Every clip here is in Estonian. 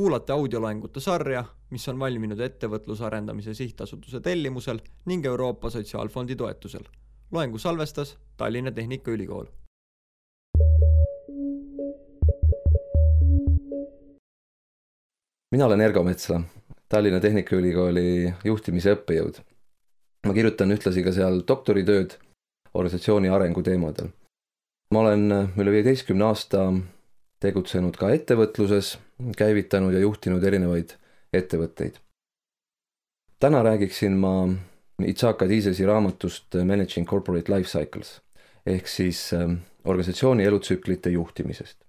Kuulate audioloengute sarja, mis on valminud ettevõtluse arendamise sihtasutuse tellimusel ning Euroopa Sotsiaalfondi toetusel. Loengu salvestas Tallinna Tehnikaülikool. Mina olen Ergo Metsla, Tallinna Tehnikaülikooli juhtimise õppejõud. Ma kirjutan ühtlasi ka seal doktoritööd organisatsiooni arengu teemadel. Ma olen üle 15 aasta tegutsenud ka ettevõtluses, käivitanud ja juhtinud erinevaid ettevõtteid. Täna räägiksin ma Itzhak Adizesi raamatust Managing Corporate Life Cycles, ehk siis organisatsiooni elutsüklite juhtimisest.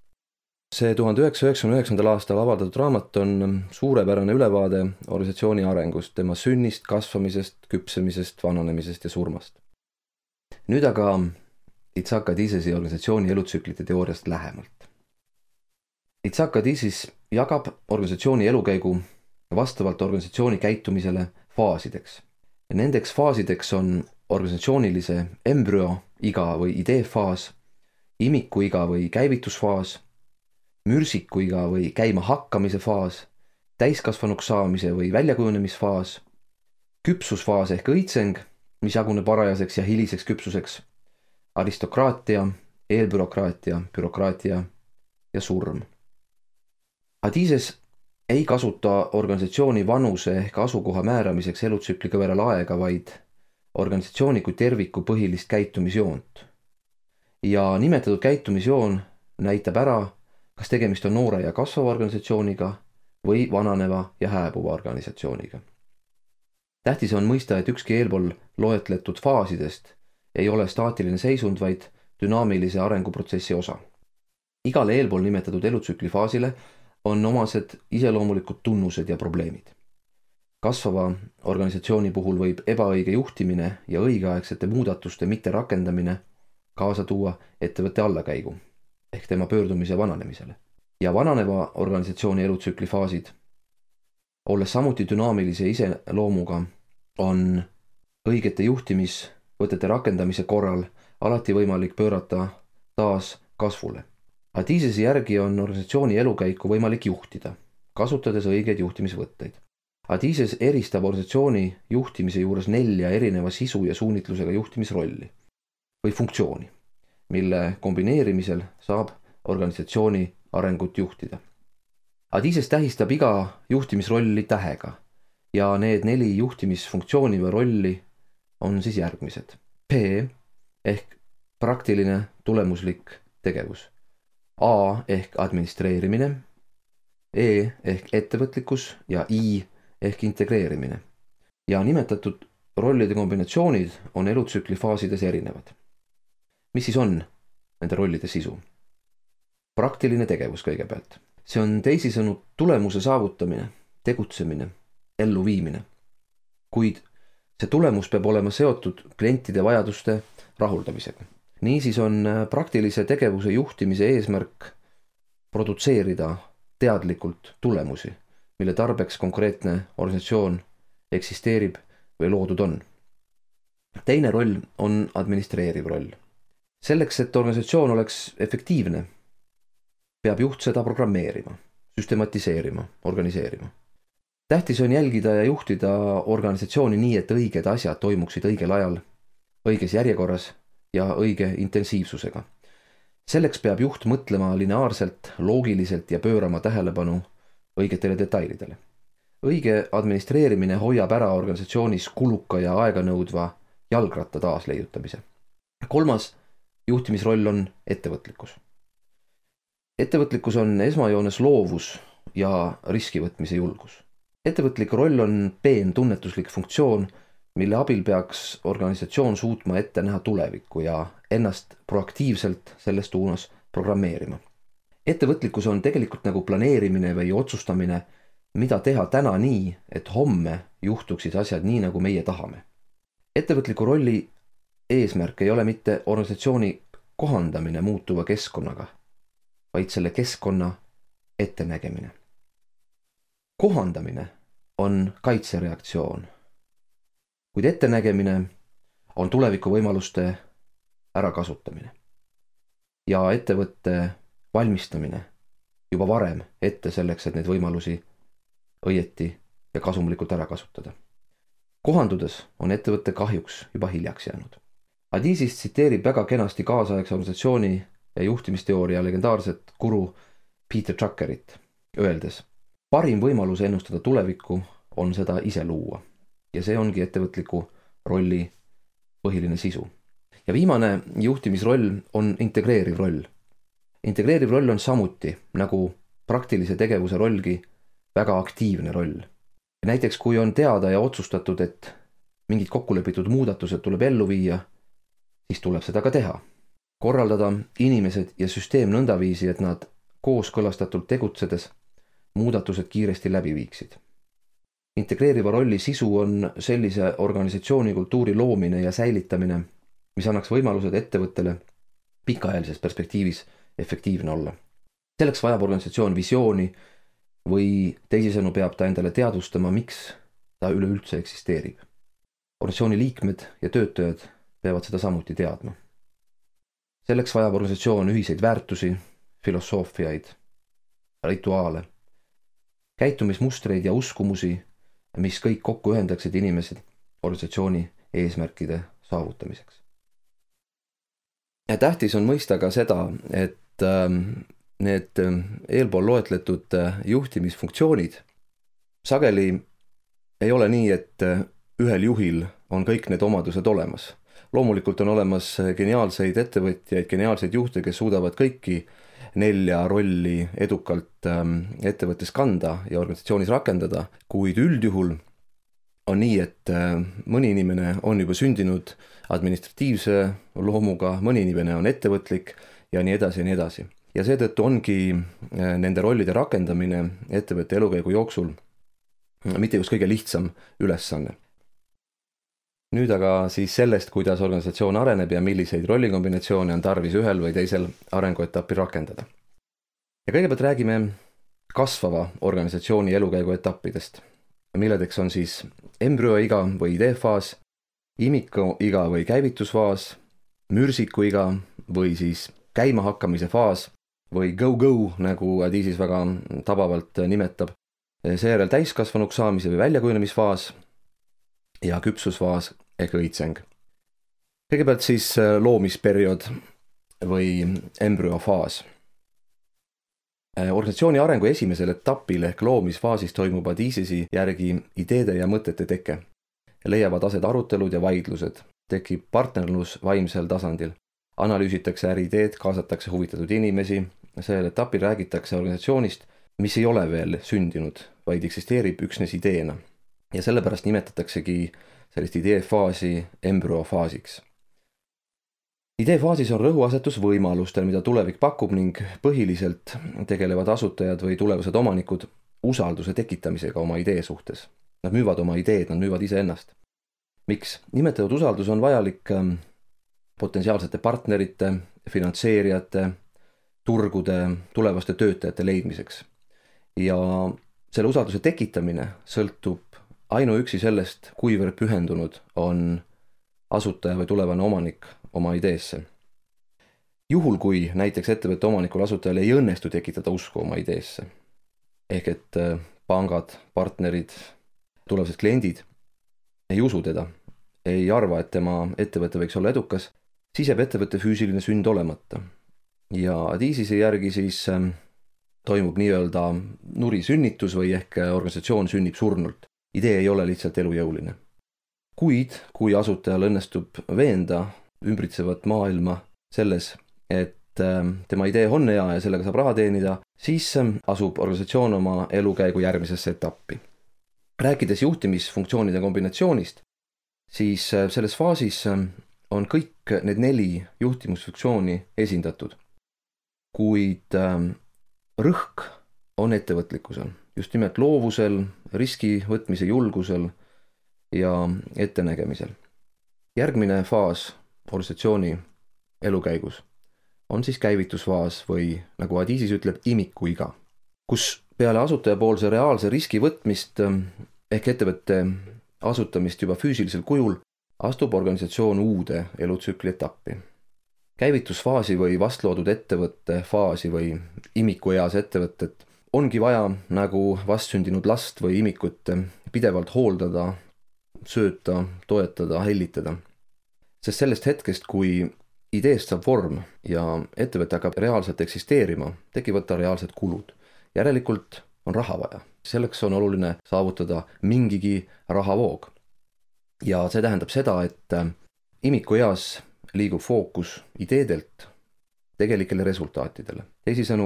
See 1999. aastal avaldatud raamat on suurepärane ülevaade organisatsiooni arengust, tema sünnist, kasvamisest, küpsemisest, vananemisest ja surmast. Nüüd aga Itzhak Adizesi organisatsiooni elutsüklite teooriast lähemalt. Itzhak Adizes jagab organisatsiooni elukäigu vastavalt organisatsiooni käitumisele faasideks. Nendeks faasideks on organisatsioonilise embrüo iga või ideefaas, imiku iga või käivitusfaas, mürsiku iga või käima hakkamise faas, täiskasvanuks saamise või väljakujunemisfaas, küpsusfaas ehk õitseng, mis jaguneb varajaseks ja hiliseks küpsuseks, aristokraatia, eelbürokraatia, bürokraatia ja surm. Adizes ei kasuta organisatsiooni vanuse ehk asukoha määramiseks elutsükliga võrrel aega, vaid organisatsiooni kui terviku põhilist käitumisjoont. Ja nimetatud käitumisjoon näitab ära, kas tegemist on noore ja kasvava organisatsiooniga või vananeva ja hääbuva organisatsiooniga. Tähtis on mõista, et ükski eelpool loetletud faasidest ei ole staatiline seisund, vaid dünaamilise arenguprotsessi osa. Igale eelpool nimetatud elutsükli faasile on omased iseloomulikud tunnused ja probleemid. Kasvava organisatsiooni puhul võib ebaõige juhtimine ja õigeaegsete muudatuste mitterakendamine kaasa tuua ettevõtte allakäigu ehk tema pöördumise vananemisele. Ja vananeva organisatsiooni elutsükli faasid, olles samuti dünaamilise iseloomuga, on õigete juhtimisvõtete rakendamise korral alati võimalik pöörata taas kasvule. Adizesi järgi on organisatsiooni elukäiku võimalik juhtida, kasutades õigeid juhtimisvõtteid. Adizes eristab organisatsiooni juhtimise juures 4 erineva sisu ja suunitlusega juhtimisrolli või funktsiooni, mille kombineerimisel saab organisatsiooni arengut juhtida. Adizes tähistab iga juhtimisrolli tähega ja need 4 juhtimisfunktsiooni või rolli on siis järgmised. P ehk praktiline tulemuslik tegevus. A ehk administreerimine, E ehk ettevõtlikkus ja I ehk integreerimine. Ja nimetatud rollide kombinatsioonid on elutsükli faasides erinevad. Mis siis on nende rollide sisu? Praktiline tegevus kõigepealt. See on teisisõnu tulemuse saavutamine, tegutsemine, elluviimine. Kuid see tulemus peab olema seotud klientide vajaduste rahuldamisega. Niisiis on praktilise tegevuse juhtimise eesmärk produtseerida teadlikult tulemusi, mille tarbeks konkreetne organisatsioon eksisteerib või loodud on. Teine roll on administreeriv roll. Selleks, et organisatsioon oleks efektiivne, peab juht seda programmeerima, süstematiseerima, organiseerima. Tähtis on jälgida ja juhtida organisatsiooni nii, et õiged asjad toimuksid õigel ajal, õiges järjekorras ja õige intensiivsusega. Selleks peab juht mõtlema lineaarselt, loogiliselt ja pöörama tähelepanu õigetele detailidele. Õige administreerimine hoiab ära organisatsioonis kuluka ja aeganõudva jalgratta taasleiutamise. Kolmas juhtimisroll on ettevõtlikkus. Ettevõtlikkus on esmajoones loovus ja riskivõtmise julgus. Ettevõtlik roll on peen tunnetuslik funktsioon, mille abil peaks organisatsioon suutma ette näha tulevikku ja ennast proaktiivselt selles suunas programmeerima. Ettevõtlikkus on tegelikult nagu planeerimine või otsustamine, mida teha täna nii, et homme juhtuksid asjad nii, nagu meie tahame. Ettevõtliku rolli eesmärk ei ole mitte organisatsiooni kohandamine muutuva keskkonnaga, vaid selle keskkonna ettenägemine. Kohandamine on kaitsereaktsioon, kuid ettenägemine on tuleviku võimaluste ärakasutamine ja ettevõtte valmistamine juba varem ette selleks, et neid võimalusi õieti ja kasumlikult ära kasutada. Kohandudes on ettevõtte kahjuks juba hiljaks jäänud. Adizis tsiteerib väga kenasti kaasaegse organisatsiooni ja juhtimisteooria legendaarset guru Peter Druckerit, öeldes: parim võimalus ennustada tulevikku on seda ise luua. Ja see ongi ettevõtliku rolli põhiline sisu. Ja viimane juhtimisroll on integreeriv roll. Integreeriv roll on samuti, nagu praktilise tegevuse rollgi, väga aktiivne roll. Näiteks kui on teada ja otsustatud, et mingid kokkulepitud muudatused tuleb ellu viia, siis tuleb seda ka teha. Korraldada inimesed ja süsteem nõndaviisi, et nad kooskõlastatult tegutsedes muudatused kiiresti läbi viiksid. Integreeriva rolli sisu on sellise organisatsiooni kultuuri loomine ja säilitamine, mis annaks võimalused ettevõttele pikaajalises perspektiivis efektiivne olla. Selleks vajab organisatsioon visiooni või teisisõnu peab ta endale teadvustama, miks ta üleüldse eksisteerib. Organisatsiooni liikmed ja töötajad peavad seda samuti teadma. Selleks vajab organisatsioon ühiseid väärtusi, filosoofiaid, rituaale, käitumismustreid ja uskumusi, mis kõik kokku ühendaksid inimesed organisatsiooni eesmärkide saavutamiseks. Ja tähtis on mõista ka seda, et need eelpool loetletud juhtimisfunktsioonid sageli ei ole nii, et ühel juhil on kõik need omadused olemas. Loomulikult on olemas geniaalseid ettevõtjaid, geniaalseid juhte, kes suudavad kõiki 4 rolli edukalt ettevõttes kanda ja organisatsioonis rakendada, kuid üldjuhul on nii, et mõni inimene on juba sündinud administratiivse loomuga, mõni inimene on ettevõtlik ja nii edasi ja nii edasi. Ja seetõttu ongi nende rollide rakendamine ettevõtte elukäigu jooksul mitte just kõige lihtsam ülesanne. Nüüd aga siis sellest, kuidas organisatsioon areneb ja milliseid rollikombinatsioone on tarvis ühel või teisel arenguetapil rakendada. Ja kõigepealt räägime kasvava organisatsiooni elukäigu etappidest, milledeks on siis embrüoiga või ideefaas, imikuiga või käivitusfaas, mürsikuiga või siis käimahakkamise faas või go-go, nagu Adizis väga tabavalt nimetab, seejärel täiskasvanuks saamise või väljakujunemisfaas ja küpsusfaas ehk õitseng. Kõigepealt siis loomisperiood või embrüofaas. Organisatsiooni arengu esimesel etapil ehk loomisfaasis toimub Adizisi järgi ideede ja mõtete teke. Leiavad aset arutelud ja vaidlused, tekib partnerlus vaimsel tasandil. Analüüsitakse äriideed, kaasatakse huvitatud inimesi, sellel etapil räägitakse organisatsioonist, mis ei ole veel sündinud, vaid eksisteerib üksnes ideena. Ja sellepärast nimetataksegi sellist ideefaasi embrüofaasiks. Ideefaasis on rõhuasetus võimalustel, mida tulevik pakub ning põhiliselt tegelevad asutajad või tulevased omanikud usalduse tekitamisega oma idee suhtes. Nad müüvad oma ideed, nad müüvad iseennast. Miks? Nimetatud usaldus on vajalik potentsiaalsete partnerite, finantseerijate, turgude, tulevaste töötajate leidmiseks. Ja selle usalduse tekitamine sõltub ainuüksi sellest, kuivõrd pühendunud on asutaja või tulevane omanik oma ideesse. Juhul, kui näiteks ettevõtte omanikul asutajal ei õnnestu tekitada usku oma ideesse, ehk et pangad, partnerid, tulevased kliendid ei usu teda, ei arva, et tema ettevõte võiks olla edukas, siis jääb ettevõtte füüsiline sünd olemata. Ja Adizisi järgi siis toimub nii-öelda nurisünnitus või ehk organisatsioon sünnib surnult. Idee ei ole lihtsalt elujõuline. Kuid kui asutajal õnnestub veenda ümbritsevat maailma selles, et tema idee on hea ja sellega saab raha teenida, siis asub organisatsioon oma elukäigu järgmisesse etappi. Rääkides juhtimisfunktsioonide kombinatsioonist, siis selles faasis on kõik need 4 juhtimusfunktsiooni esindatud. Kuid rõhk on ettevõtlikkusel, just nimelt loovusel, riski võtmise julgusel ja ettenägemisel. Järgmine faas organisatsiooni elukäigus on siis käivitusfaas või nagu Adizis ütleb, imikuiga, kus peale asutajapoolse reaalse riski võtmist ehk ettevõtte asutamist juba füüsilisel kujul astub organisatsioon uude elutsükli etappi. käivitusfaasi või vastloodud ettevõtte faasi või imikueas ettevõtet ongi vaja nagu vastsündinud last või imikut pidevalt hooldada, sööta, toetada, hellitada. Sest sellest hetkest, kui ideest saab vorm ja ettevõte hakkab reaalselt eksisteerima, tekivad ta reaalsed kulud. Järelikult on raha vaja. Selleks on oluline saavutada mingigi rahavoog. Ja see tähendab seda, et imikueas liigub fookus ideedelt tegelikele resultaatidele. Teisisõnu,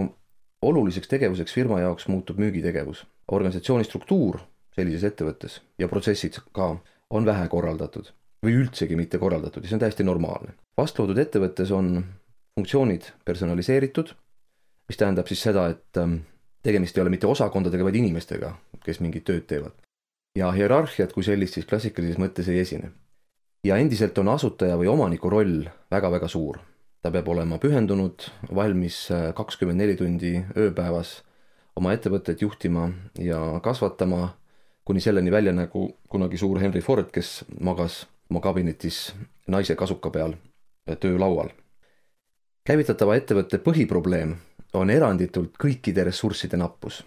oluliseks tegevuseks firma jaoks muutub müügitegevus. Organisatsiooni struktuur sellises ettevõttes ja protsessid ka on vähe korraldatud või üldsegi mitte korraldatud ja see on täiesti normaalne. Vastloodud ettevõttes on funktsioonid personaliseeritud, mis tähendab siis seda, et tegemist ei ole mitte osakondadega, vaid inimestega, kes mingit tööd teevad. Ja hierarhiat kui sellist siis klassikalises mõttes ei esine. Ja endiselt on asutaja või omaniku roll väga-väga suur. Ta peab olema pühendunud, valmis 24 tundi ööpäevas oma ettevõtteid juhtima ja kasvatama, kuni selleni välja nagu kunagi suur Henry Ford, kes magas oma kabinetis naise kasuka peal töölaual. Käivitatava ettevõtte põhiprobleem on eranditult kõikide ressursside nappus.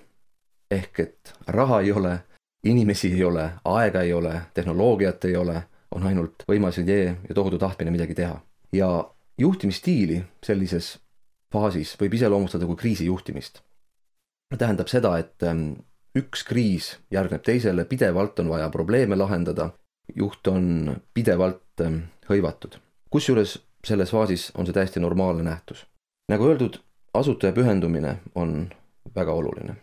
Ehk et raha ei ole, inimesi ei ole, aega ei ole, tehnoloogiat ei ole, on ainult võimas idee ja tohutu tahtmine midagi teha. Ja juhtimisstiili sellises faasis võib iseloomustada kui kriisijuhtimist. Tähendab seda, et üks kriis järgneb teisele, pidevalt on vaja probleeme lahendada, juht on pidevalt hõivatud. Kusjuures selles faasis on see täiesti normaalne nähtus. Nagu öeldud, asutaja pühendumine on väga oluline.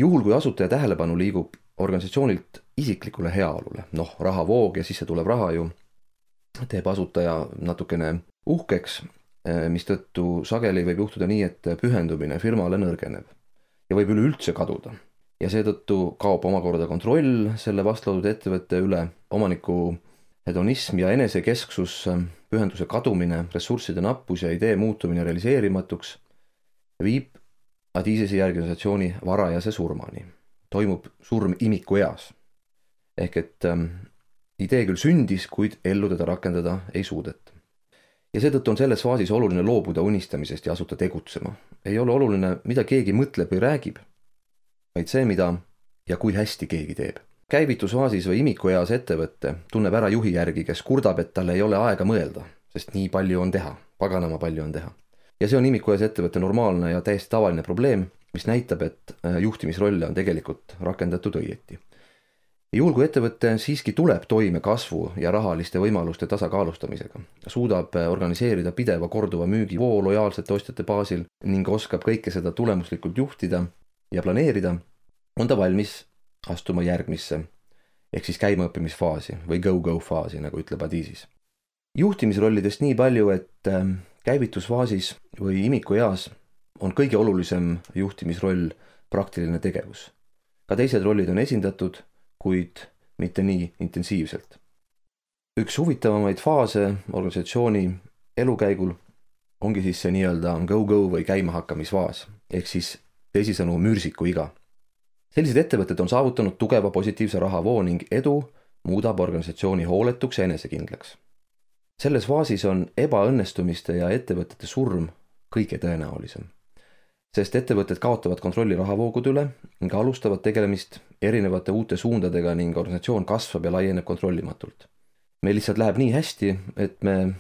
Juhul, kui asutaja tähelepanu liigub organisatsioonilt isiklikule heaolule, rahavoog ja sisse tuleb raha ju, teeb asutaja natukene uhkeks, mistõttu sageli võib juhtuda nii, et pühendumine firmale nõrgeneb ja võib üleüldse kaduda. Ja seetõttu kaob omakorda kontroll selle vastloodud ettevõtte üle, omaniku hedonism ja enesekesksus, pühenduse kadumine, ressursside nappus ja idee muutumine realiseerimatuks viib Adizesi järgi organisatsiooni varajase surmani. Toimub surm imikueas. Ehk et idee küll sündis, kuid ellu teda rakendada ei suudeta. Ja seetõttu on selles faasis oluline loobuda unistamisest ja asuda tegutsema. Ei ole oluline, mida keegi mõtleb või räägib, vaid see, mida ja kui hästi keegi teeb. Käivitusfaasis või imikueas ettevõtte tunneb ära juhi järgi, kes kurdab, et tal ei ole aega mõelda, sest nii palju on teha, paganama palju on teha. Ja see on imikueas ettevõtte normaalne ja täiesti tavaline probleem, mis näitab, et juhtimisrolle on tegelikult rakendatud õieti. Juhul, kui ettevõte siiski tuleb toime kasvu ja rahaliste võimaluste tasakaalustamisega, suudab organiseerida pideva korduva müügivoo lojaalsete ostjate baasil ning oskab kõike seda tulemuslikult juhtida ja planeerida, on ta valmis astuma järgmisse, ehk siis käimaõppimisfaasi või go-go faasi, nagu ütleb Adizis. Juhtimisrollidest nii palju, et käivitusfaasis või imikueas on kõige olulisem juhtimisroll praktiline tegevus. Ka teised rollid on esindatud, kuid mitte nii intensiivselt. Üks huvitavamaid faase organisatsiooni elukäigul ongi siis see nii-öelda go-go või käimahakkamisfaas, ehk siis teisisõnu mürsiku iga. Sellised ettevõtted on saavutanud tugeva positiivse rahavoo ning edu muudab organisatsiooni hooletuks ja enesekindlaks. Selles faasis on ebaõnnestumiste ja ettevõtete surm kõige tõenäolisem, sest ettevõtted kaotavad kontrolli rahavoogude üle ning alustavad tegelemist erinevate uute suundadega ning organisatsioon kasvab ja laieneb kontrollimatult. Meil lihtsalt läheb nii hästi, et me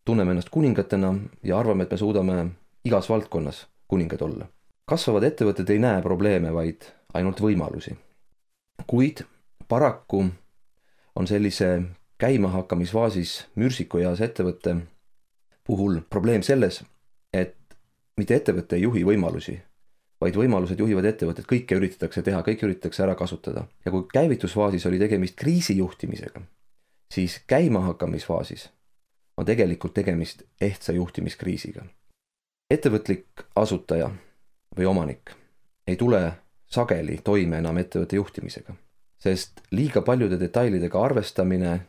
tunneme ennast kuningatena ja arvame, et me suudame igas valdkonnas kuningad olla. Kasvavad ettevõtted ei näe probleeme, vaid ainult võimalusi. Kuid paraku on sellise käimahakkamisfaasis mürsikueas ettevõtte puhul probleem selles, et mitte ettevõtte ei juhi võimalusi, vaid võimalused juhivad ettevõtted, kõike üritatakse teha, kõike üritatakse ära kasutada. Ja kui käivitusfaasis oli tegemist kriisijuhtimisega, siis käimahakkamisfaasis on tegelikult tegemist ehtsa juhtimiskriisiga. Ettevõtlik asutaja või omanik ei tule sageli toime enam ettevõtte juhtimisega, sest liiga paljude detailidega arvestamine,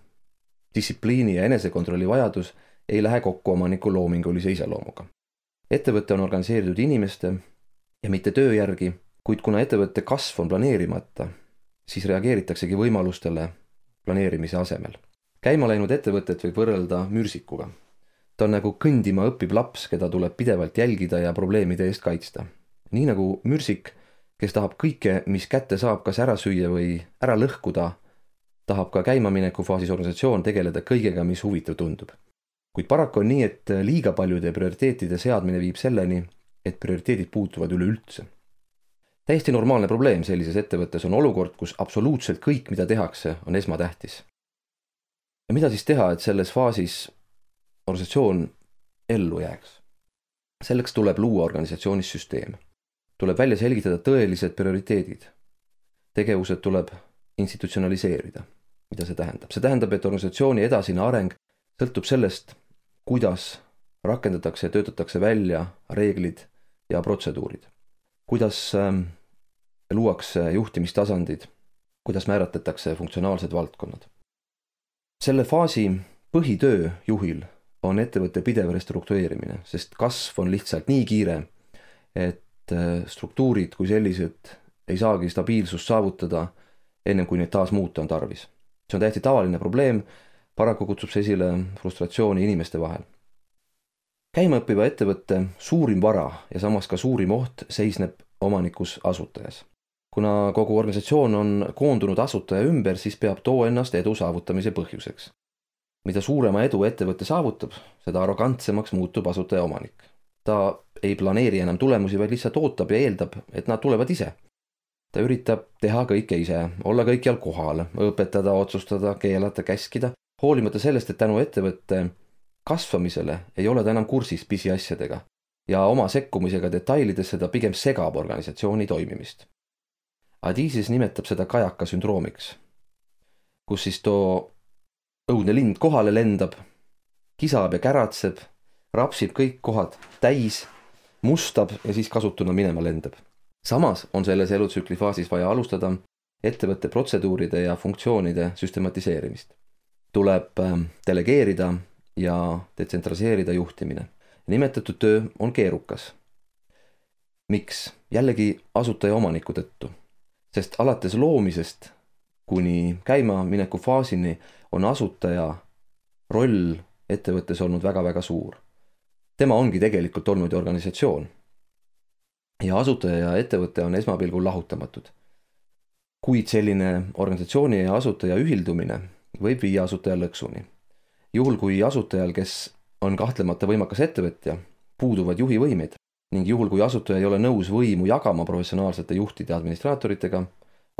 distsipliini ja enesekontrolli vajadus ei lähe kokku omaniku loomingulise iseloomuga. Ettevõte on organiseeritud inimeste ja mitte töö järgi, kuid kuna ettevõtte kasv on planeerimata, siis reageeritaksegi võimalustele planeerimise asemel. Käima läinud ettevõtet võib võrrelda mürsikuga. Ta on nagu kõndima õppiv laps, keda tuleb pidevalt jälgida ja probleemide eest kaitsta. Nii nagu mürsik, kes tahab kõike, mis kätte saab, kas ära süüa või ära lõhkuda, tahab ka käimamineku faasis organisatsioon tegeleda kõigega, mis huvitav tundub. Kuid paraku on nii, et liiga paljude prioriteetide seadmine viib selleni, et prioriteedid puutuvad üleüldse. Täiesti normaalne probleem sellises ettevõttes on olukord, kus absoluutselt kõik, mida tehakse, on esmatähtis. Ja mida siis teha, et selles faasis organisatsioon ellu jääks? Selleks tuleb luua organisatsioonis süsteem. Tuleb välja selgitada tõelised prioriteedid. Tegevused tuleb institutsionaliseerida. Mida see tähendab? See tähendab, et organisatsiooni edasine areng sõltub sellest, kuidas rakendatakse ja töötatakse välja reeglid ja protseduurid. Kuidas luuakse juhtimistasandid, kuidas määratletakse funktsionaalsed valdkonnad. Selle faasi põhitöö juhil on ettevõtte pidev restruktureerimine, sest kasv on lihtsalt nii kiire, et struktuurid kui sellised ei saagi stabiilsust saavutada ennem kui neid taas muuta on tarvis. See on täiesti tavaline probleem, paraku kutsub see esile frustratsiooni inimeste vahel. Käimaõppiva ettevõtte suurim vara ja samas ka suurim oht seisneb omanikus asutajas. Kuna kogu organisatsioon on koondunud asutaja ümber, siis peab too ennast edu saavutamise põhjuseks. Mida suurema edu ettevõtte saavutab, seda arrogantsemaks muutub asutaja omanik. Ta ei planeeri enam tulemusi, vaid lihtsalt ootab ja eeldab, et nad tulevad ise. Ta üritab teha kõike ise, olla kõikjal kohal, õpetada, otsustada, keelata, käskida, hoolimata sellest, et tänu ettevõtte kasvamisele ei ole ta enam kursis pisiasjadega ja oma sekkumisega detailidesse ta pigem segab organisatsiooni toimimist. Adisis nimetab seda kajaka sündroomiks, kus siis too õudne lind kohale lendab, kisab ja käratseb, rapsib kõik kohad täis, mustab ja siis kasutuna minema lendab. Samas on selles elutsükli faasis vaja alustada ettevõtte protseduuride ja funktsioonide süstematiseerimist. Tuleb delegeerida ja detsentraliseerida juhtimine. Nimetatud töö on keerukas. Miks? Jällegi asutaja omaniku tõttu. Sest alates loomisest kuni käimamineku faasini on asutaja roll ettevõttes olnud väga-väga suur. Tema ongi tegelikult olnud organisatsioon. Ja asutaja ja ettevõte on esmapilgul lahutamatud. Kuid selline organisatsiooni ja asutaja ühildumine võib viia asutaja lõksuni. Juhul kui asutajal, kes on kahtlemata võimakas ettevõtja, puuduvad juhivõimed ning juhul kui asutaja ei ole nõus võimu jagama professionaalsete juhtide administraatoritega,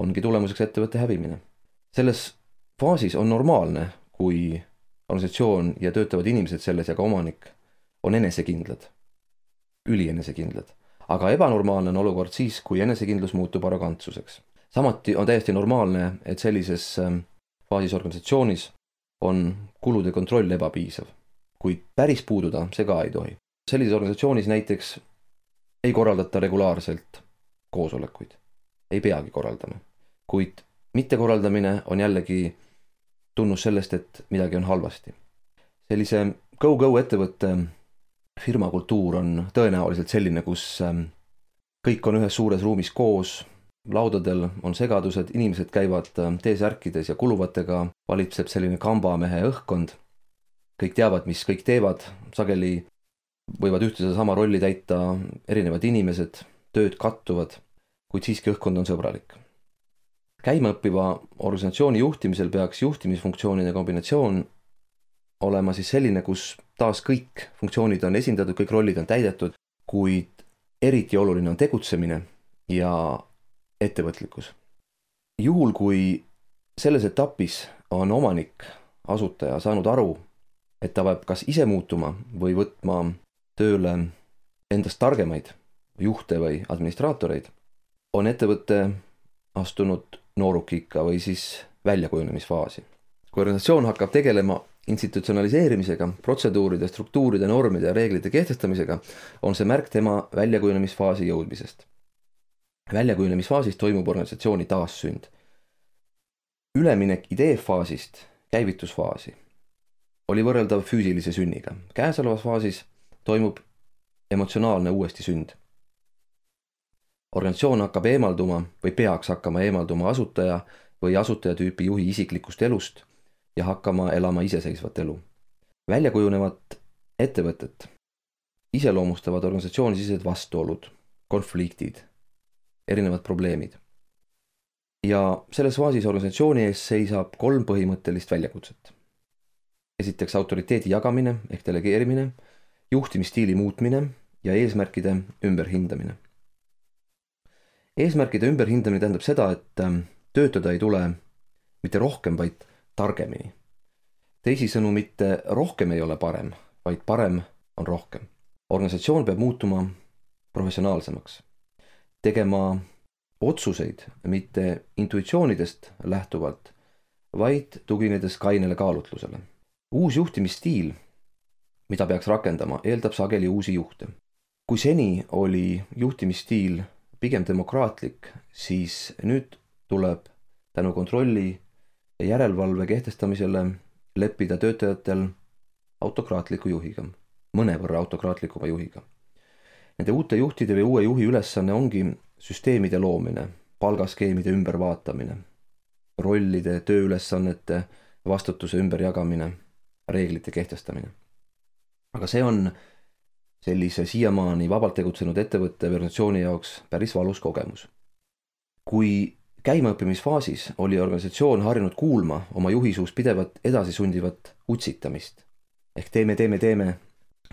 ongi tulemuseks ettevõtte hävimine. Selles faasis on normaalne, kui organisatsioon ja töötavad inimesed selles ja ka omanik on enesekindlad, ülienesekindlad. Aga ebanormaalne on olukord siis, kui enesekindlus muutub arrogantsuseks. Samati on täiesti normaalne, et sellises faasis organisatsioonis on kulude kontroll ebapiisav, kuid päris puududa see ka ei tohi. Sellises organisatsioonis näiteks ei korraldata regulaarselt koosolekuid, ei peagi korraldama, kuid mittekorraldamine on jällegi tunnus sellest, et midagi on halvasti. Sellise go-go ettevõtte firmakultuur on tõenäoliselt selline, kus kõik on ühes suures ruumis koos, laudadel on segadused, inimesed käivad T-särkides ja kuluvatega, valitseb selline kambamehe õhkkond. Kõik teavad, mis kõik teevad, sageli võivad ühte sama rolli täita erinevad inimesed, tööd kattuvad, kuid siiski õhkkond on sõbralik. Käimaõppiva organisatsiooni juhtimisel peaks juhtimisfunktsioonide kombinatsioon olema siis selline, kus taas kõik funktsioonid on esindatud, kõik rollid on täidetud, kuid eriti oluline on tegutsemine ja ettevõtlikkus. Juhul, kui selles etapis on omanik, asutaja saanud aru, et ta peab kas ise muutuma või võtma tööle endast targemaid juhte või administraatoreid, on ettevõte astunud noorukikka või siis väljakujunemisfaasi. Kui organisatsioon hakkab tegelema institutsionaliseerimisega, protseduuride, struktuuride, normide ja reeglite kehtestamisega, on see märk tema väljakujunemisfaasi jõudmisest. Väljakujunemisfaasis toimub organisatsiooni taassünd. Üleminek ideefaasist käivitusfaasi oli võrreldav füüsilise sünniga. Käesolevas faasis toimub emotsionaalne uuesti sünd. Organisatsioon hakkab eemalduma või peaks hakkama eemalduma asutaja või asutajatüüpi juhi isiklikust elust ja hakkama elama iseseisvat elu. Väljakujunevat ettevõtet iseloomustavad organisatsioonisisesed vastuolud, konfliktid, erinevad probleemid. Ja selles faasis organisatsiooni ees seisab 3 põhimõttelist väljakutset. Esiteks autoriteedi jagamine ehk delegeerimine, juhtimisstiili muutmine ja eesmärkide ümberhindamine. Eesmärkide ümberhindamine tähendab seda, et töötada ei tule mitte rohkem, vaid targemini. Teisisõnu, mitte rohkem ei ole parem, vaid parem on rohkem. Organisatsioon peab muutuma professionaalsemaks, tegema otsuseid mitte intuitsioonidest lähtuvalt, vaid tuginedes kainele kaalutlusele. Uus juhtimisstiil, mida peaks rakendama, eeldab sageli uusi juhte. Kui seni oli juhtimisstiil pigem demokraatlik, siis nüüd tuleb tänu kontrolli ja järelevalve kehtestamisele leppida töötajatel autokraatliku juhiga, mõnevõrra autokraatlikuma juhiga. Nende uute juhtide või uue juhi ülesanne ongi süsteemide loomine, palgaskeemide ümbervaatamine, rollide, tööülesannete, vastutuse ümberjagamine, reeglite kehtestamine. Aga see on sellise siiamaani vabalt tegutsenud ettevõtte või organisatsiooni jaoks päris valus kogemus. Kui käimaõppimisfaasis oli organisatsioon harjunud kuulma oma juhi suust pidevat edasisundivat utsitamist, ehk teeme,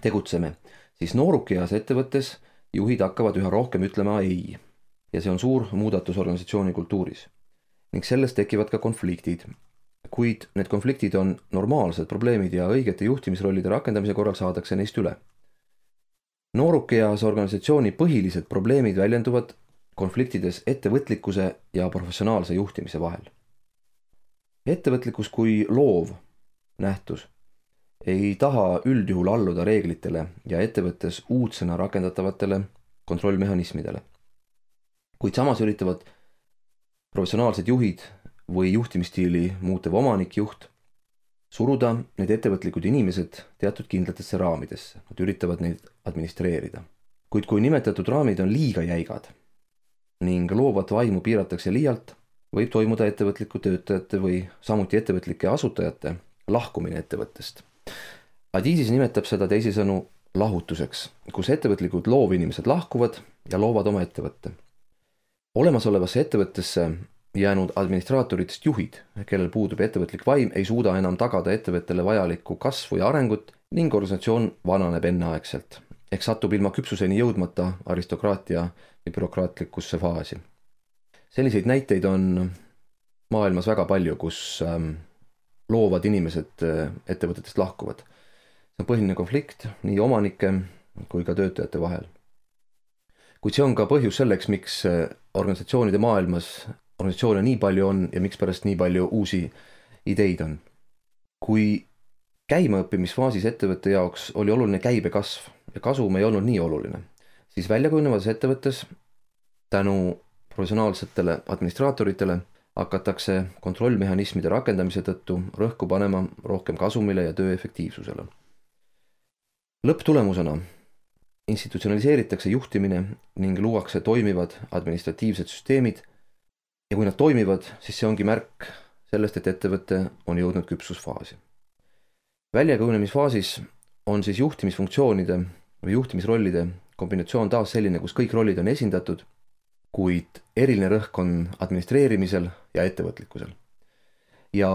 tegutseme, siis noorukeas ettevõttes juhid hakkavad üha rohkem ütlema ei. Ja see on suur muudatus organisatsiooni kultuuris. Ning sellest tekivad ka konfliktid. Kuid need konfliktid on normaalsed probleemid ja õigete juhtimisrollide rakendamise korral saadakse neist üle. Noorukeas organisatsiooni põhilised probleemid väljenduvad konfliktides ettevõtlikkuse ja professionaalse juhtimise vahel. Ettevõtlikkus kui loov nähtus ei taha üldjuhul alluda reeglitele ja ettevõttes uudsena rakendatavatele kontrollmehhanismidele. Kuid samas üritavad professionaalsed juhid või juhtimisstiili muutev omanikjuht suruda need ettevõtlikud inimesed teatud kindlatesse raamidesse. Nad üritavad neid administreerida. Kuid kui nimetatud raamid on liiga jäigad ning loovat vaimu piiratakse liialt, võib toimuda ettevõtliku töötajate või samuti ettevõtlike asutajate lahkumine ettevõttest. Adiisis nimetab seda teisisõnu lahutuseks, kus ettevõtlikud loovinimesed lahkuvad ja loovad oma ettevõtte. Olemasolevasse ettevõttesse jäänud administraatoritest juhid, kellel puudub ettevõtlik vaim, ei suuda enam tagada ettevõttele vajalikku kasvu ja arengut ning organisatsioon vananeb enneaegselt, ehk satub ilma küpsuseni jõudmata aristokraatia ja bürokraatlikusse faasi. Selliseid näiteid on maailmas väga palju, kus loovad inimesed ettevõtetest lahkuvad. See on põhiline konflikt nii omanike kui ka töötajate vahel. Kuid see on ka põhjus selleks, miks organisatsioonide maailmas organisatsioone nii palju on ja miks pärast nii palju uusi ideid on. Kui käimaõppimisfaasis ettevõtte jaoks oli oluline käibekasv ja kasum ei olnud nii oluline, siis väljakujunevas ettevõttes tänu professionaalsetele administraatoritele hakatakse kontrollmehhanismide rakendamise tõttu rõhku panema rohkem kasumile ja töö efektiivsusele. Lõpptulemusena institutsionaliseeritakse juhtimine ning luuakse toimivad administratiivsed süsteemid ja kui nad toimivad, siis see ongi märk sellest, et ettevõte on jõudnud küpsusfaasi. Väljakujunemisfaasis on siis juhtimisfunktsioonide või juhtimisrollide kombinatsioon taas selline, kus kõik rollid on esindatud, kuid eriline rõhk on administreerimisel ja ettevõtlikkusel. Ja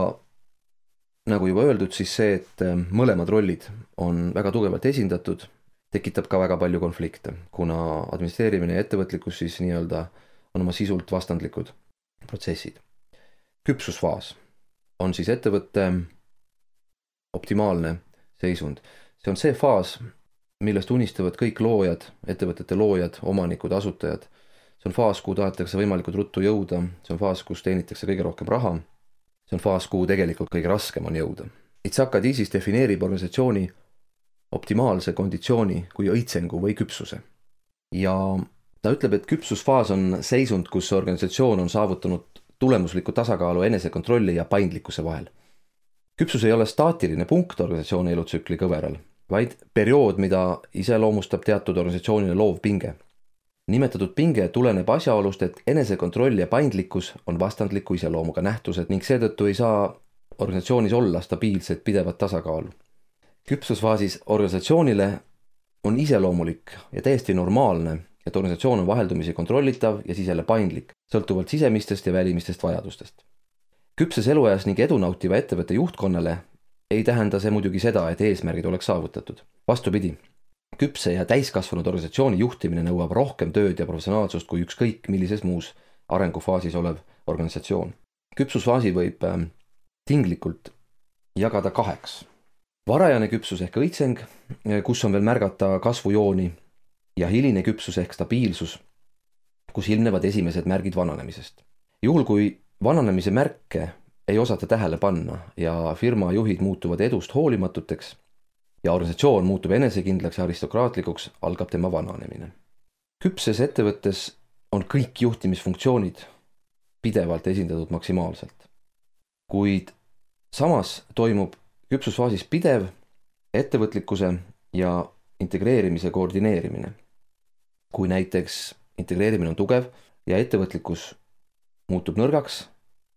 nagu juba öeldud, siis see, et mõlemad rollid on väga tugevalt esindatud, tekitab ka väga palju konflikte, kuna administreerimine ja ettevõtlikkus siis nii-öelda on oma sisult vastandlikud protsessid. Küpsusfaas on siis ettevõtte optimaalne seisund. See on see faas, millest unistavad kõik loojad, ettevõtete loojad, omanikud, asutajad. See on faas, kuhu tahetakse võimalikult ruttu jõuda. See on faas, kus teenitakse kõige rohkem raha. See on faas, kuhu tegelikult kõige raskem on jõuda. Itzhak Adizis defineerib organisatsiooni optimaalse konditsiooni kui õitsengu või küpsuse. Ja ta ütleb, et küpsusfaas on seisund, kus organisatsioon on saavutanud tulemusliku tasakaalu enesekontrolli ja paindlikkuse vahel. Küpsus ei ole staatiline punkt organisatsiooni elutsükli kõveral, vaid periood, mida iseloomustab teatud organisatsioonile loov pinge. Nimetatud pinge tuleneb asjaolust, et enesekontroll ja paindlikkus on vastandliku iseloomuga nähtused ning seetõttu ei saa organisatsioonis olla stabiilset pidevat tasakaalu. küpsusfaasis organisatsioonile on iseloomulik ja täiesti normaalne, et organisatsioon on vaheldumisi kontrollitav ja siis jälle paindlik, sõltuvalt sisemistest ja välimistest vajadustest. Küpses eluajas ning edu nautiva ettevõtte juhtkonnale ei tähenda see muidugi seda, et eesmärgid oleks saavutatud. Vastupidi, küpse ja täiskasvanud organisatsiooni juhtimine nõuab rohkem tööd ja professionaalsust kui ükskõik millises muus arengufaasis olev organisatsioon. Küpsusfaasi võib tinglikult jagada 2. Varajane küpsus ehk õitseng, kus on veel märgata kasvujooni, ja hiline küpsus ehk stabiilsus, kus ilmnevad esimesed märgid vananemisest. Juhul kui vananemise märke ei osata tähele panna ja firma juhid muutuvad edust hoolimatuteks ja organisatsioon muutub enesekindlaks ja aristokraatlikuks, algab tema vananemine. Küpses ettevõttes on kõik juhtimisfunktsioonid pidevalt esindatud maksimaalselt. Kuid samas toimub küpsusfaasis pidev ettevõtlikkuse ja integreerimise koordineerimine. Kui näiteks integreerimine on tugev ja ettevõtlikkus muutub nõrgaks,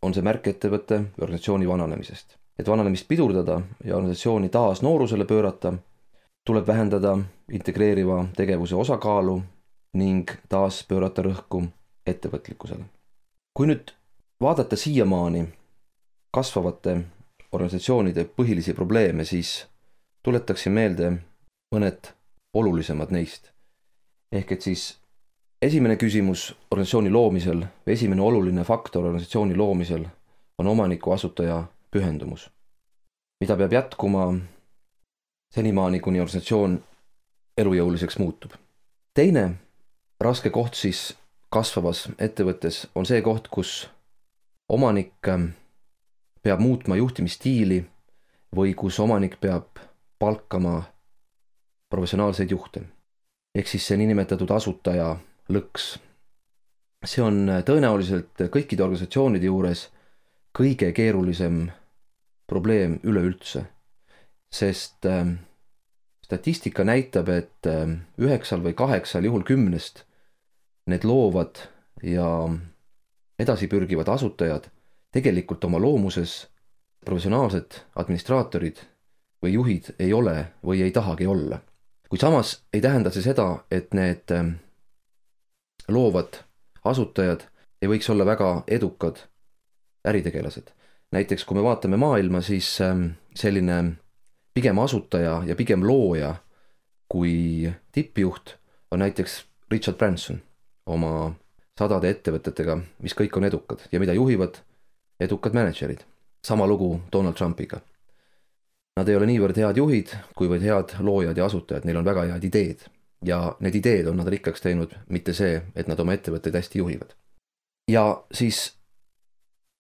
on see märk ettevõtte ja organisatsiooni vananemisest. Et vananemist pidurdada ja organisatsiooni taas noorusele pöörata, tuleb vähendada integreeriva tegevuse osakaalu ning taas pöörata rõhku ettevõtlikkusele. Kui nüüd vaadata siiamaani kasvavate organisatsioonide põhilisi probleeme, siis tuletaksin meelde mõned olulisemad neist. Ehk et siis esimene küsimus organisatsiooni loomisel või esimene oluline faktor organisatsiooni loomisel on omaniku asutaja pühendumus, mida peab jätkuma senimaani, kuni organisatsioon elujõuliseks muutub. Teine raske koht siis kasvavas ettevõttes on see koht, kus omanik peab muutma juhtimisstiili või kus omanik peab palkama professionaalseid juhte. Ehk siis see niinimetatud asutaja lõks. See on tõenäoliselt kõikide organisatsioonide juures kõige keerulisem probleem üleüldse, sest statistika näitab, et 9 või 8 juhul 10 need loovad ja edasipürgivad asutajad tegelikult oma loomuses professionaalsed administraatorid või juhid ei ole või ei tahagi olla. Kui samas ei tähenda see seda, et need loovad asutajad ei võiks olla väga edukad äritegelased. Näiteks kui me vaatame maailma, siis selline pigem asutaja ja pigem looja kui tippjuht on näiteks Richard Branson oma 100 ettevõtetega, mis kõik on edukad ja mida juhivad edukad managerid. Sama lugu Donald Trumpiga. Nad ei ole niivõrd head juhid, kuivõrd head loojad ja asutajad, neil on väga head ideed. Ja need ideed on nad rikkaks teinud, mitte see, et nad oma ettevõtteid hästi juhivad. Ja siis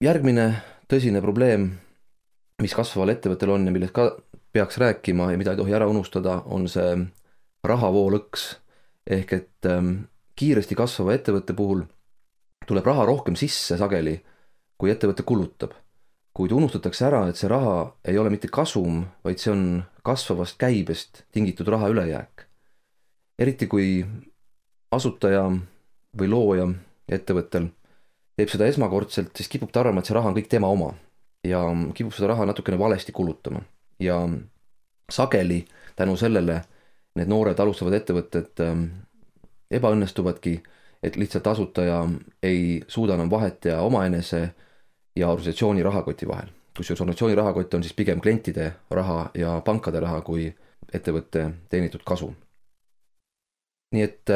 järgmine tõsine probleem, mis kasvaval ettevõttel on ja millest ka peaks rääkima ja mida ei tohi ära unustada, on see rahavoolõks. Ehk et kiiresti kasvava ettevõtte puhul tuleb raha rohkem sisse sageli, kui ettevõte kulutab. Kuid unustatakse ära, et see raha ei ole mitte kasum, vaid see on kasvavast käibest tingitud raha ülejääk. Eriti kui asutaja või looja ettevõttel teeb seda esmakordselt, siis kipub ta arvama, et see raha on kõik tema oma ja kipub seda raha natukene valesti kulutama. Ja sageli tänu sellele need noored alustavad ettevõtted ebaõnnestuvadki, et lihtsalt asutaja ei suuda enam vahet teha omaenese ja organisatsiooni rahakoti vahel. Kusjuures organisatsiooni rahakott on siis pigem klientide raha ja pankade raha kui ettevõtte teenitud kasu. Nii et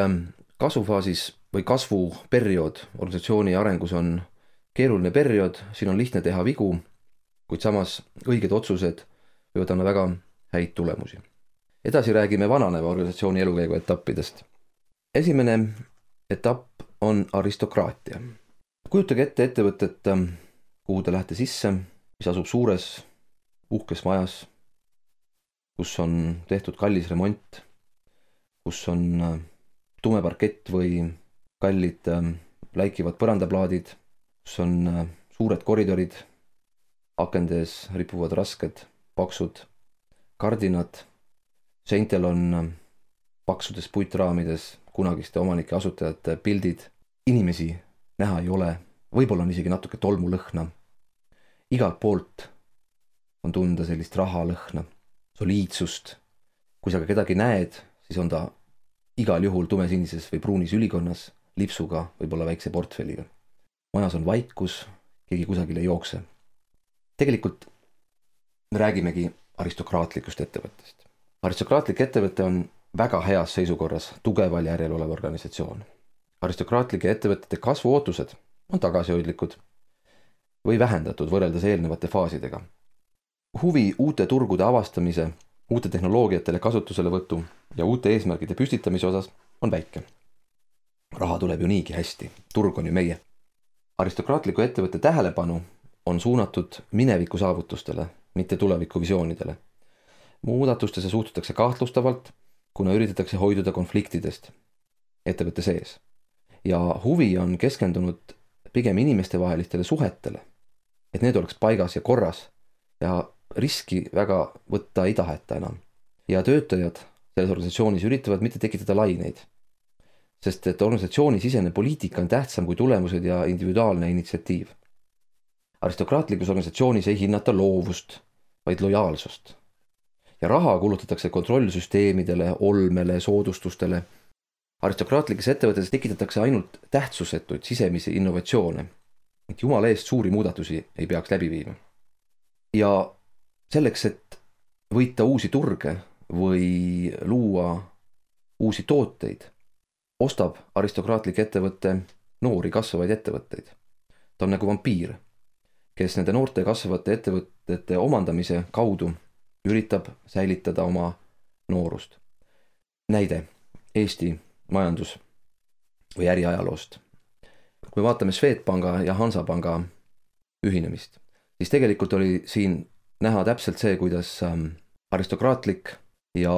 kasvufaasis või kasvuperiood organisatsiooni arengus on keeruline periood, siin on lihtne teha vigu, kuid samas õiged otsused võivad anda väga häid tulemusi. Edasi räägime vananeva organisatsiooni elukäigu etappidest. Esimene etapp on aristokraatia. Kujutage ette ettevõtet, kuhu te lähete sisse, mis asub suures uhkes majas, kus on tehtud kallis remont, kus on tume parkett või kallid läikivad põrandaplaadid, kus on suured koridorid, akendes ripuvad rasked, paksud kardinad, seintel on paksudes puitraamides kunagiste omanike asutajate pildid, inimesi näha ei ole, võib-olla on isegi natuke tolmulõhna. Igalt poolt on tunda sellist rahalõhna. soliidsust. Kui sa ka kedagi näed, siis on ta igal juhul tumesinises või pruunis ülikonnas, lipsuga, võib-olla väikse portfelliga. Majas on vaikus, keegi kusagil ei jookse. Tegelikult me räägimegi aristokraatlikust ettevõttest. Aristokraatlik ettevõte on väga heas seisukorras, tugeval järjel olev organisatsioon. Aristokraatlike ettevõtete kasvuootused on tagasihoidlikud või vähendatud võrreldes eelnevate faasidega. Huvi uute turgude avastamise, uute tehnoloogiatele kasutuselevõtu ja uute eesmärgide püstitamise osas on väike. Raha tuleb ju niigi hästi, turg on ju meie. Aristokraatliku ettevõtte tähelepanu on suunatud mineviku saavutustele, mitte tuleviku visioonidele. Muudatustesse suhtutakse kahtlustavalt, kuna üritatakse hoiduda konfliktidest ettevõtte sees. Ja huvi on keskendunud pigem inimestevahelistele suhetele, et need oleks paigas ja korras ja riski väga võtta ei taheta enam. Ja töötajad selles organisatsioonis üritavad mitte tekitada laineid, sest et organisatsiooni sisene poliitika on tähtsam kui tulemused ja individuaalne initsiatiiv. Aristokraatlikus organisatsioonis ei hinnata loovust, vaid lojaalsust. Ja raha kulutatakse kontrollsüsteemidele, olmele, soodustustele. Aristokraatlikes ettevõtetes tekitatakse ainult tähtsusetuid sisemisi innovatsioone, et jumala eest suuri muudatusi ei peaks läbi viima. Ja selleks, et võita uusi turge või luua uusi tooteid, ostab aristokraatlik ettevõtte noori kasvavaid ettevõtteid. Ta on nagu vampiir, kes nende noorte kasvavate ettevõtete omandamise kaudu üritab säilitada oma noorust. Näide Eesti majandus- või äriajaloost. Kui me vaatame Swedbanka ja Hansapanga ühinemist, siis tegelikult oli siin näha täpselt see, kuidas aristokraatlik ja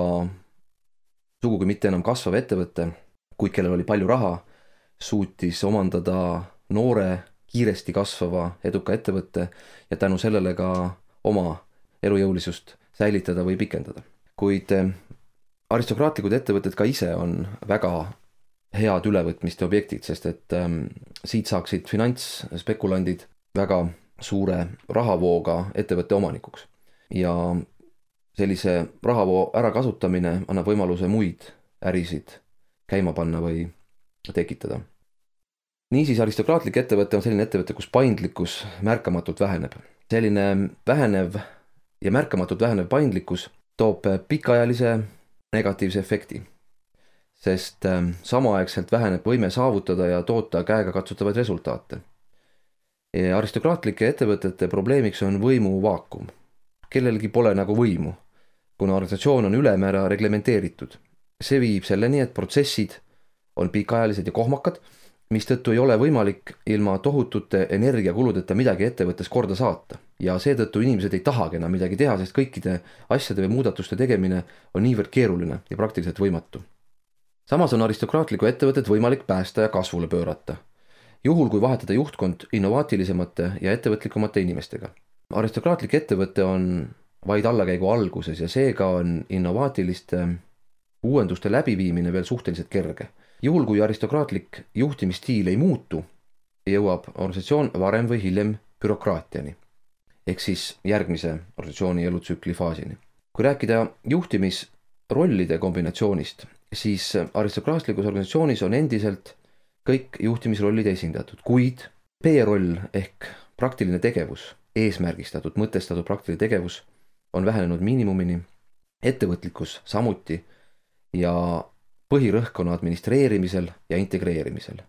sugugi mitte enam kasvav ettevõte, kuid kellel oli palju raha, suutis omandada noore, kiiresti kasvava, eduka ettevõtte ja tänu sellele ka oma elujõulisust säilitada või pikendada. Kuid aristokraatlikud ettevõtted ka ise on väga head ülevõtmiste objektid, sest et siit saaksid finantsspekulandid väga suure rahavooga ettevõtte omanikuks. Ja sellise rahavoo ärakasutamine annab võimaluse muid ärisid käima panna või tekitada. Niisiis aristokraatlik ettevõte on selline ettevõte, kus paindlikkus märkamatult väheneb. Selline vähenev ja märkamatult vähenev paindlikkus toob pikaajalise negatiivse efekti, sest samaaegselt väheneb võime saavutada ja toota käega katsutavaid resultaate. Aristokraatlike ettevõtete probleemiks on võimu vaakum. Kellelgi pole nagu võimu, kuna organisatsioon on ülemäära reglementeeritud. See viib selleni, et protsessid on pikaajalised ja kohmakad, mistõttu ei ole võimalik ilma tohutute energiakuludeta midagi ettevõttes korda saata. Ja seetõttu inimesed ei tahagi enam midagi teha, sest kõikide asjade või muudatuste tegemine on niivõrd keeruline ja praktiliselt võimatu. Samas on aristokraatlikku ettevõtet võimalik päästa ja kasvule pöörata, juhul kui vahetada juhtkond innovaatilisemate ja ettevõtlikumate inimestega. Aristokraatlik ettevõte on vaid allakäigu alguses ja seega on innovaatiliste uuenduste läbiviimine veel suhteliselt kerge. Juhul kui aristokraatlik juhtimisstiil ei muutu, jõuab organisatsioon varem või hiljem bürokraatiani, ehk siis järgmise organisatsiooni elutsükli faasini. Kui rääkida juhtimisrollide kombinatsioonist, siis aristokraatlikus organisatsioonis on endiselt kõik juhtimisrollid esindatud, kuid P-roll ehk praktiline tegevus, eesmärgistatud, mõtestatud praktiline tegevus on vähenenud miinimumini, ettevõtlikkus samuti ja põhirõhk on administreerimisel ja integreerimisel,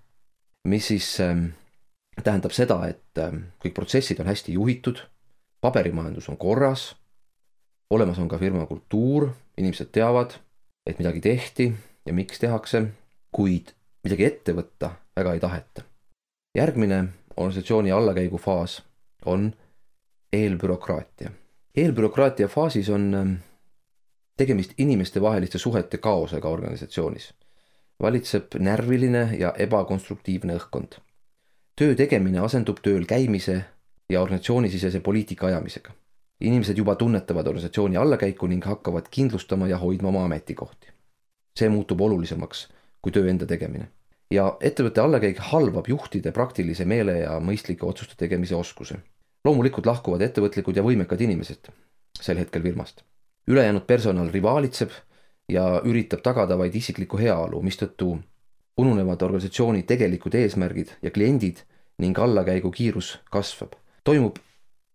mis siis tähendab seda, et kõik protsessid on hästi juhitud, paberimajandus on korras, olemas on ka firma kultuur, inimesed teavad, et midagi tehti ja miks tehakse, kuid midagi ette võtta väga ei taheta. Järgmine organisatsiooni allakäigu faas on eelbürokraatia. Eelbürokraatia faasis on tegemist inimeste vaheliste suhete kaosega organisatsioonis. Valitseb närviline ja ebakonstruktiivne õhkkond. Töö tegemine asendub tööl käimise ja organisatsioonisisese poliitika ajamisega. Inimesed juba tunnetavad organisatsiooni allakäiku ning hakkavad kindlustama ja hoidma oma ametikohti. See muutub olulisemaks kui töö enda tegemine. Ja ettevõtte allakäik halvab juhtide praktilise meele ja mõistlike otsuste tegemise oskuse. Loomulikult lahkuvad ettevõtlikud ja võimekad inimesed sel hetkel firmast. ülejäänud personal rivaalitseb ja üritab tagada vaid isiklikku heaolu, mistõttu ununevad organisatsiooni tegelikud eesmärgid ja kliendid ning allakäigu kiirus kasvab. Toimub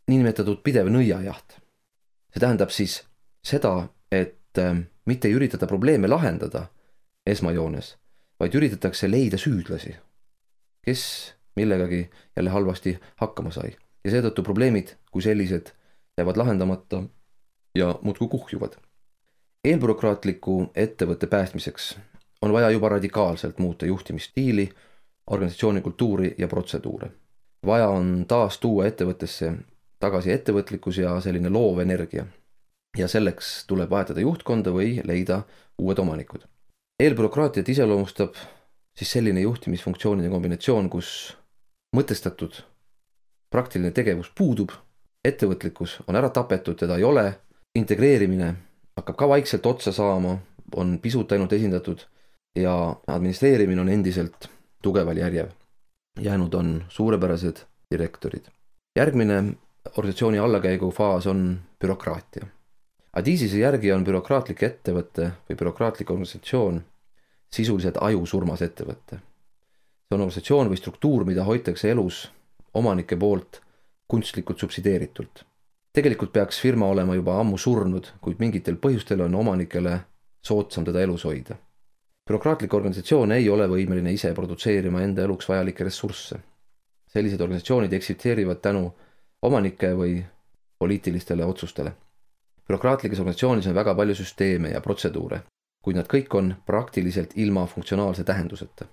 niinimetatud pidev nõiajaht. See tähendab siis seda, et mitte ei üritada probleeme lahendada esmajoones, vaid üritatakse leida süüdlasi, kes millegagi jälle halvasti hakkama sai. Ja seetõttu probleemid kui sellised jäävad lahendamata ja muudkui kuhjuvad. Eelbürokraatliku ettevõtte päästmiseks on vaja juba radikaalselt muuta juhtimisstiili, organisatsiooni kultuuri ja protseduure. Vaja on taas tuua ettevõttesse tagasi ettevõtlikkus ja selline loov energia. Ja selleks tuleb vahetada juhtkonda või leida uued omanikud. Eelbürokraatiat iseloomustab siis selline juhtimisfunktsioonide kombinatsioon, kus mõtestatud praktiline tegevus puudub, ettevõtlikkus on ära tapetud, teda ei ole, integreerimine hakkab ka vaikselt otsa saama, on pisut ainult esindatud ja administreerimine on endiselt tugeval järjev. Jäänud on suurepärased direktorid. Järgmine organisatsiooni allakäigu faas on bürokraatia. Adizise järgi on bürokraatlik ettevõte või bürokraatlik organisatsioon sisuliselt ajusurmas ettevõte. See on organisatsioon või struktuur, mida hoitakse elus omanike poolt kunstlikult subsideeritult. Tegelikult peaks firma olema juba ammu surnud, kuid mingitel põhjustel on omanikele soodsam teda elus hoida. Bürokraatlik organisatsioon ei ole võimeline ise produtseerima enda eluks vajalikke ressursse. Sellised organisatsioonid eksisteerivad tänu omanike või poliitilistele otsustele. Bürokraatlikes organisatsioonis on väga palju süsteeme ja protseduure, kuid nad kõik on praktiliselt ilma funktsionaalse tähenduseta.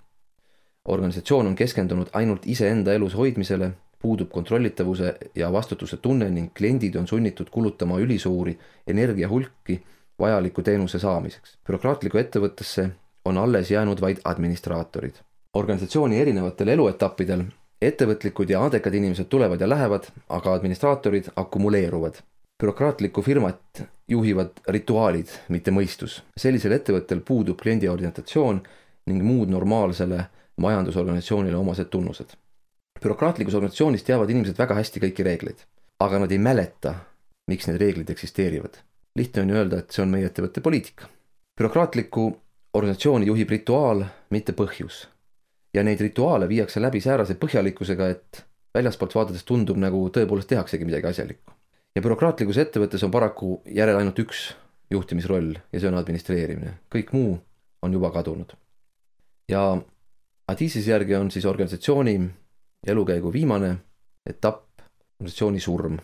Organisatsioon on keskendunud ainult iseenda elus hoidmisele, puudub kontrollitavuse ja vastutuse tunne ning kliendid on sunnitud kulutama ülisuuri energiahulki vajaliku teenuse saamiseks. Bürokraatliku ettevõttesse on alles jäänud vaid administraatorid. Organisatsiooni erinevatel eluetappidel ettevõtlikud ja andekad inimesed tulevad ja lähevad, aga administraatorid akumuleeruvad. Bürokraatlikku firmat juhivad rituaalid, mitte mõistus. Sellisel ettevõttel puudub kliendi orientatsioon ning muud normaalsele majandusorganisatsioonile omased tunnused. Bürokraatlikus organisatsioonis teavad inimesed väga hästi kõiki reegleid, aga nad ei mäleta, miks need reeglid eksisteerivad. Lihtne on ju öelda, et see on meie ettevõtte poliitika. Bürokraatliku organisatsiooni juhib rituaal, mitte põhjus. Ja neid rituaale viiakse läbi säärase põhjalikkusega, et väljaspoolt vaadates tundub, nagu tõepoolest tehaksegi midagi asjalikku. Ja bürokraatlikus ettevõttes on paraku järel ainult üks juhtimisroll ja see on administreerimine. Kõik muu on juba kadunud. Ja Adizise järgi on siis organisatsiooni elukäigu viimane etapp organisatsiooni surm.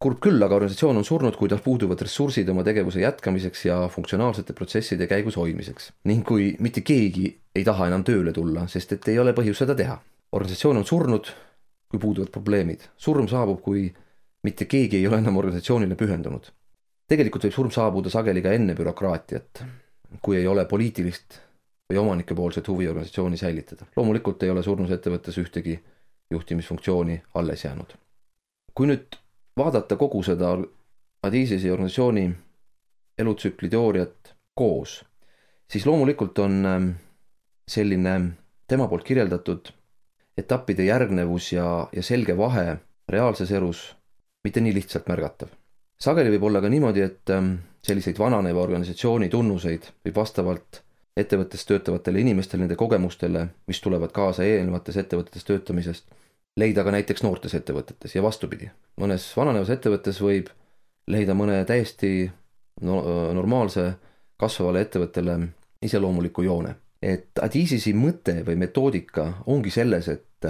Kurb küll, aga organisatsioon on surnud, kui tal puuduvad ressursid oma tegevuse jätkamiseks ja funktsionaalsete protsesside käigus hoidmiseks. Ning kui mitte keegi ei taha enam tööle tulla, sest et ei ole põhjus seda teha. Organisatsioon on surnud, kui puuduvad probleemid. Surm saabub, kui mitte keegi ei ole enam organisatsioonile pühendunud. Tegelikult võib surm saabuda sageli ka enne bürokraatiat, kui ei ole poliitilist või omanike poolset huvi organisatsiooni säilitada. Loomulikult ei ole surnus ettevõttes ühtegi juhtimisfunktsiooni alles jäänud. Kui nüüd vaadata kogu seda Adizise organisatsiooni elutsükli teooriat koos, siis loomulikult on selline tema poolt kirjeldatud etappide järgnevus ja selge vahe reaalses elus mitte nii lihtsalt märgatav. Sageli võib olla ka niimoodi, et selliseid vananeva organisatsiooni tunnuseid võib vastavalt ettevõttes töötavatele inimestele, nende kogemustele, mis tulevad kaasa eelnevates ettevõtetes töötamisest, leida ka näiteks noortes ettevõtetes ja vastupidi. Mõnes vananevas ettevõttes võib leida mõne täiesti normaalse kasvavale ettevõttele iseloomuliku joone. Et Adizise mõte või metoodika ongi selles, et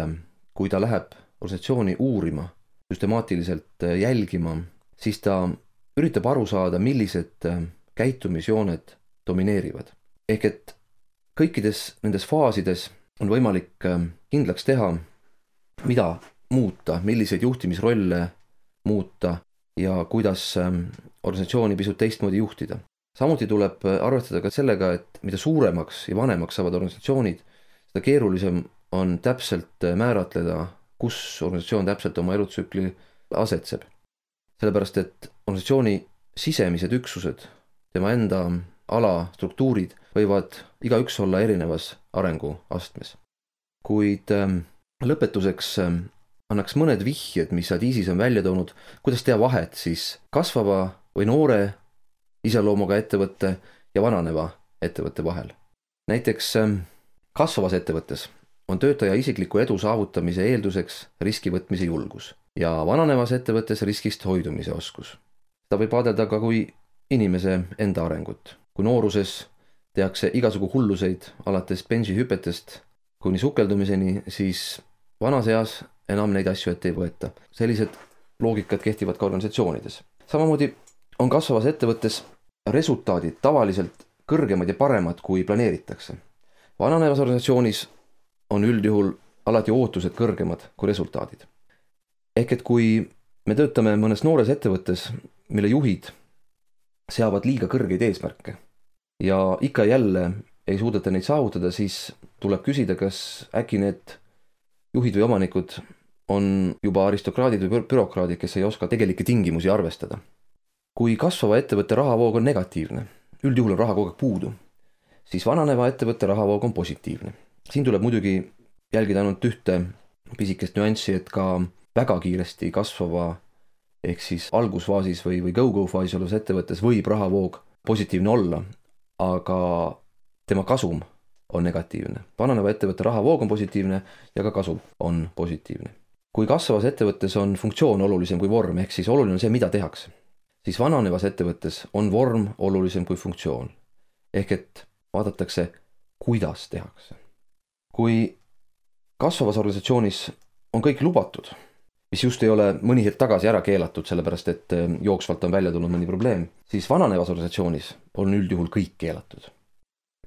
kui ta läheb organisatsiooni uurima, süstemaatiliselt jälgima, siis ta üritab aru saada, millised käitumisjooned domineerivad. Ehk et kõikides nendes faasides on võimalik kindlaks teha, mida muuta, milliseid juhtimisrolle muuta ja kuidas organisatsiooni pisut teistmoodi juhtida. Samuti tuleb arvestada ka sellega, et mida suuremaks ja vanemaks saavad organisatsioonid, seda keerulisem on täpselt määratleda, kus organisatsioon täpselt oma elutsükli asetseb. Sellepärast, et organisatsiooni sisemised üksused, tema enda ala struktuurid võivad igaüks olla erinevas arenguastmes. Kuid lõpetuseks annaks mõned vihjed, mis Adizise on välja toonud, kuidas teha vahet siis kasvava või noore iseloomuga ettevõtte ja vananeva ettevõtte vahel. Näiteks kasvavas ettevõttes on töötaja isikliku edu saavutamise eelduseks riski võtmise julgus ja vananevas ettevõttes riskist hoidumise oskus. Seda võib vaadelda ka kui inimese enda arengut. Kui nooruses tehakse igasugu hulluseid alates bensihüpetest kuni sukeldumiseni, siis vanas eas enam neid asju ette ei võeta. Sellised loogikad kehtivad ka organisatsioonides. Samamoodi on kasvavas ettevõttes resultaadid tavaliselt kõrgemad ja paremad, kui planeeritakse. Vananevas organisatsioonis on üldjuhul alati ootused kõrgemad kui resultaadid. Ehk et kui me töötame mõnes noores ettevõttes, mille juhid seavad liiga kõrgeid eesmärke ja ikka jälle ei suudeta neid saavutada, siis tuleb küsida, kas äkki need juhid või omanikud on juba aristokraadid või bürokraadid, kes ei oska tegelikke tingimusi arvestada. Kui kasvava ettevõtte rahavoog on negatiivne, üldjuhul on raha kogu aeg puudu, siis vananeva ettevõtte rahavoog on positiivne. Siin tuleb muidugi jälgida ainult ühte pisikest nüanssi, et ka väga kiiresti kasvava ehk siis algusfaasis või go-go-faasis olevas ettevõttes võib rahavoog positiivne olla, aga tema kasum on negatiivne. Vananeva ettevõtte rahavoog on positiivne ja ka kasum on positiivne. Kui kasvavas ettevõttes on funktsioon olulisem kui vorm, ehk siis oluline on see, mida tehakse, siis vananevas ettevõttes on vorm olulisem kui funktsioon. Ehk et vaadatakse, kuidas tehakse. Kui kasvavas organisatsioonis on kõik lubatud, mis just ei ole mõni hetk tagasi ära keelatud, sellepärast et jooksvalt on välja tulnud mõni probleem, siis vananevas organisatsioonis on üldjuhul kõik keelatud.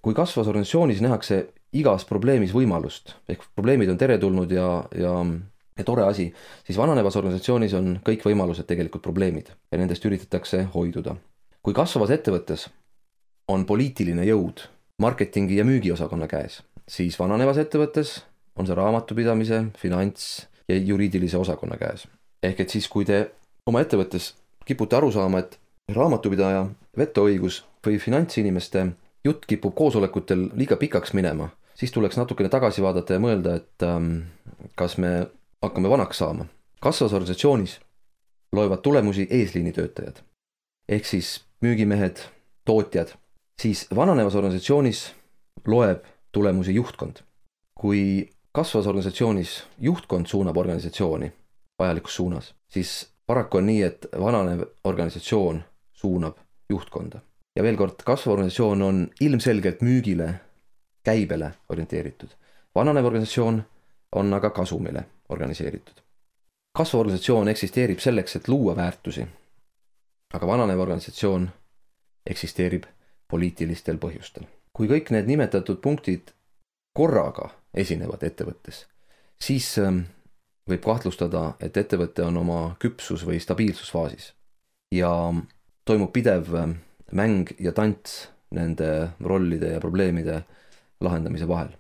Kui kasvavas organisatsioonis nähakse igas probleemis võimalust, ehk probleemid on teretulnud ja tore asi, siis vananevas organisatsioonis on kõik võimalused tegelikult probleemid ja nendest üritatakse hoiduda. Kui kasvavas ettevõttes on poliitiline jõud marketingi ja müügiosakonna käes, siis vananevas ettevõttes on see raamatupidamise, finants ja juriidilise osakonna käes. Ehk et siis, kui te oma ettevõttes kipute aru saama, et raamatupidaja, vetoõigus või finantsinimeste jutt kipub koosolekutel liiga pikaks minema, siis tuleks natukene tagasi vaadata ja mõelda, et kas me hakkame vanaks saama. Kasvavas organisatsioonis loevad tulemusi eesliinitöötajad, ehk siis müügimehed, tootjad, siis vananevas organisatsioonis loeb tulemusi juhtkond. Kui kasvavas organisatsioonis juhtkond suunab organisatsiooni vajalikus suunas, siis paraku on nii, et vananev organisatsioon suunab juhtkonda. Ja veel kord, kasvav organisatsioon on ilmselgelt müügile, käibele orienteeritud. Vananev organisatsioon on aga kasumile organiseeritud. Kasvav organisatsioon eksisteerib selleks, et luua väärtusi, aga vananev organisatsioon eksisteerib poliitilistel põhjustel. Kui kõik need nimetatud punktid korraga esinevad ettevõttes, siis võib kahtlustada, et ettevõte on oma küpsus või stabiilsusfaasis ja toimub pidev mäng ja tants nende rollide ja probleemide lahendamise vahel.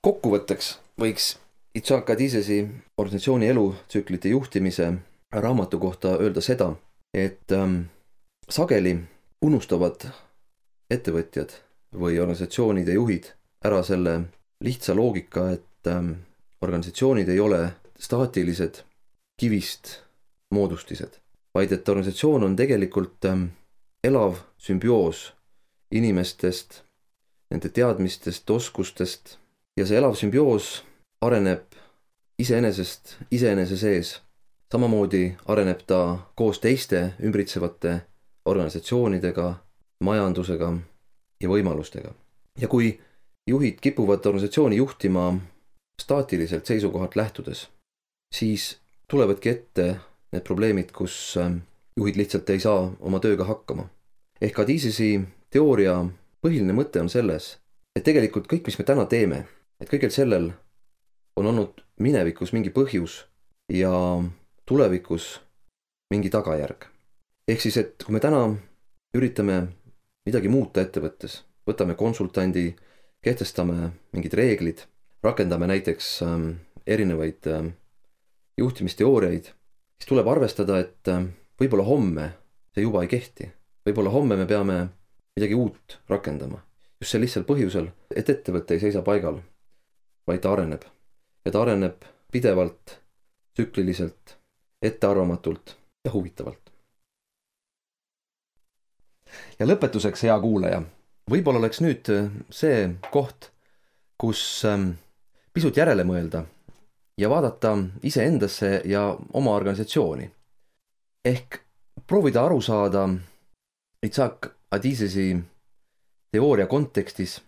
Kokkuvõtteks võiks Itzhak Adizesi organisatsiooni elutsüklite juhtimise raamatu kohta öelda seda, et sageli unustavad ettevõtjad või organisatsioonide juhid ära selle lihtsa loogika, et organisatsioonid ei ole staatilised kivist moodustised, vaid et organisatsioon on tegelikult elav sümbioos inimestest, nende teadmistest, oskustest ja see elav sümbioos areneb iseenese sees. Samamoodi areneb ta koos teiste ümbritsevate organisatsioonidega, majandusega ja võimalustega. Ja kui juhid kipuvad organisatsiooni juhtima staatiliselt seisukohalt lähtudes, siis tulevadki ette need probleemid, kus juhid lihtsalt ei saa oma tööga hakkama. Ehk Adizesi teooria põhiline mõte on selles, et tegelikult kõik, mis me täna teeme, et kõigel sellel on olnud minevikus mingi põhjus ja tulevikus mingi tagajärg. Ehk siis, et kui me täna üritame midagi muuta ettevõttes, võtame konsultandi, kehtestame mingid reeglid, rakendame näiteks erinevaid juhtimisteooriaid, siis tuleb arvestada, et võib-olla homme see juba ei kehti. Võib-olla homme me peame midagi uut rakendama. Just see lihtsal põhjusel, et ettevõte ei seisa paigal, vaid ta areneb. Ja ta areneb pidevalt, tsükliliselt, ettearvamatult ja huvitavalt. ja lõpetuseks, hea kuulaja, võib-olla oleks nüüd see koht, kus pisut järele mõelda ja vaadata iseendasse ja oma organisatsiooni. Ehk proovida aru saada Isaac Adizesi teooria kontekstis,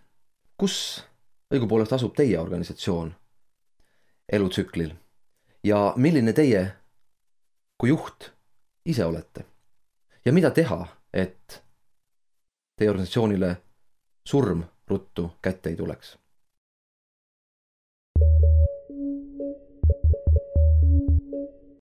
kus õigupoolest asub teie organisatsioon elutsüklil ja milline teie kui juht ise olete ja mida teha, et teie organisatsioonile surm ruttu kätte ei tuleks.